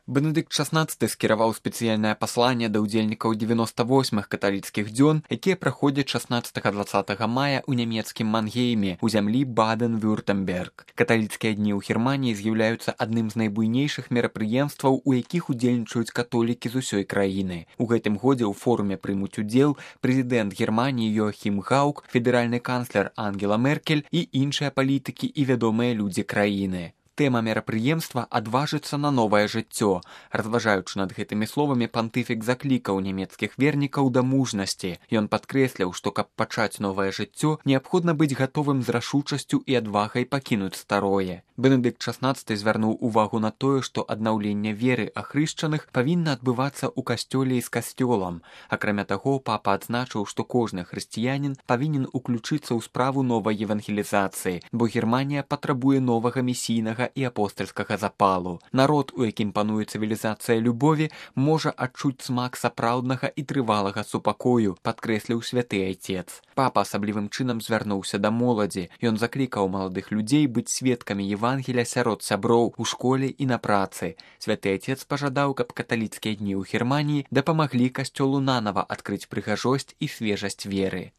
Бенедыкт XVI скіраваў спецыяльнае пасланне да ўдзельнікаў 98-х каталіцкіх дзён, якія праходзяць 16-20 мая ў нямецкім Мангейме, у зямлі Баден-Вюртэмберг. Каталіцкія дні ў Германіі з'яўляюцца адным з найбуйнейшых мерапрыемстваў, у якіх удзельнічаюць католікі з усёй краіны. У гэтым годзе ў форуме прымуць удзел прэзідэнт Германіі Йоахім Гаук, федэральны канцлер Ангела Меркель і іншыя палітыкі і вядомыя людзі краіны. Тэма мерапрыемства «Адважыцца на новае жыццё». Разважаючы над гэтымі словамі, пантыфік заклікаў нямецкіх вернікаў да мужнасці. Ён падкрэсляў, што каб пачаць новае жыццё, неабходна быць гатовым з рашучасцю і адвагай пакінуць старое. Бенедыкт XVI звярнуў увагу на тое, што аднаўленне веры ахрышчаных павінна адбывацца ў касцёле і з касцёлам. Акрамя таго, папа адзначыў, што кожны хрысціянін павінен уключыцца ў справу новай евангелізацыі, бо Германія патрабуе новага месійнага і апостальскага запалу. Народ, у якім пануе цывілізацыя любові, можа адчуць смак сапраўднага і трывалага супакою, падкрэсліў святы айцец. Папа асаблівым чынам звярнуўся да моладзі. Ён заклікаў маладых людзей быць сведкамі Евангеля сярод сяброў у школе і на працы. Святы айцец пажадаў, каб каталіцкія дні ў Германіі дапамаглі касцёлу нанава адкрыць прыгажосць і свежасць веры.